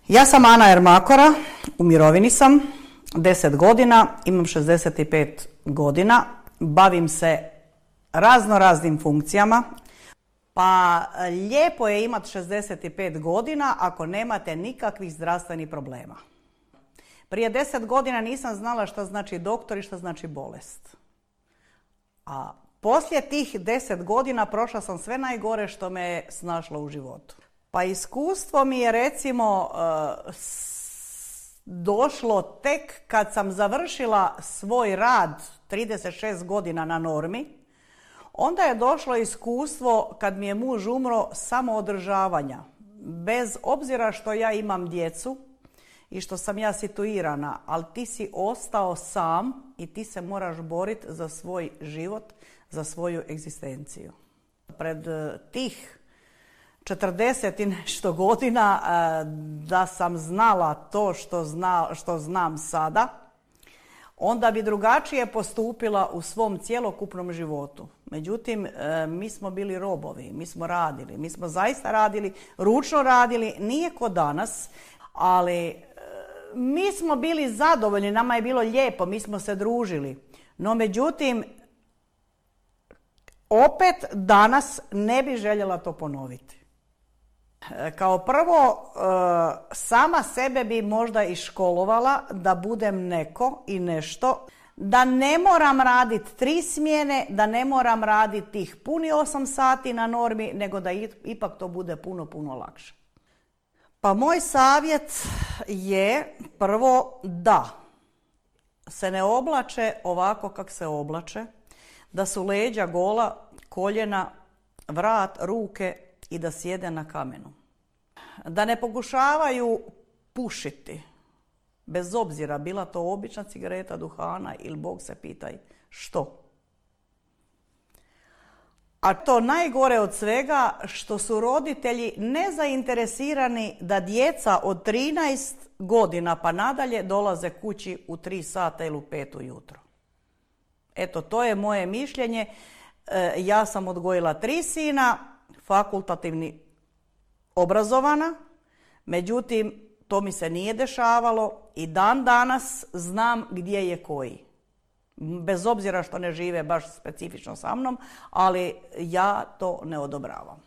Ja sam Ana Ermakora, u mirovini sam, 10 godina, imam 65 godina, bavim se raznim funkcijama. Pa lijepo je imati 65 godina ako nemate nikakvih zdravstvenih problema. Prije 10 godina nisam znala šta znači doktor i šta znači bolest. A poslije tih 10 godina prošla sam sve najgore što me je snašlo u životu. Pa iskustvo mi je recimo došlo tek kad sam završila svoj rad 36 godina na normi. Onda je došlo iskustvo kad mi je muž umro samoodržavanja. Bez obzira što ja imam djecu i što sam ja situirana, ali ti si ostao sam i ti se moraš boriti za svoj život, za svoju egzistenciju. Pred tih 40 i nešto godina da sam znala to što znam sada, onda bi drugačije postupila u svom cjelokupnom životu. Međutim, mi smo bili robovi, mi smo radili, mi smo zaista radili, ručno radili, nije ko danas, ali mi smo bili zadovoljni, nama je bilo lijepo, mi smo se družili. No međutim, opet danas ne bi željela to ponoviti. Kao prvo, sama sebe bi možda i školovala da budem neko i nešto, da ne moram raditi 3 smjene, da ne moram raditi tih puni 8 sati na normi, nego da ipak to bude puno lakše. Pa moj savjet je prvo da se ne oblače ovako kako se oblače, da su leđa gola, koljena, vrat, ruke i da sjede na kamenu. Da ne pokušavaju pušiti, bez obzira bila to obična cigareta, duhana ili Bog se pitaj što. A to najgore od svega što su roditelji nezainteresirani da djeca od 13 godina pa nadalje dolaze kući u 3 sata ili u 5 ujutro. Eto, to je moje mišljenje. Ja sam odgojila 3 sina, fakultativni obrazovana, međutim, to mi se nije dešavalo i dan danas znam gdje je koji. Bez obzira što ne žive baš specifično sa mnom, ali ja to ne odobravam.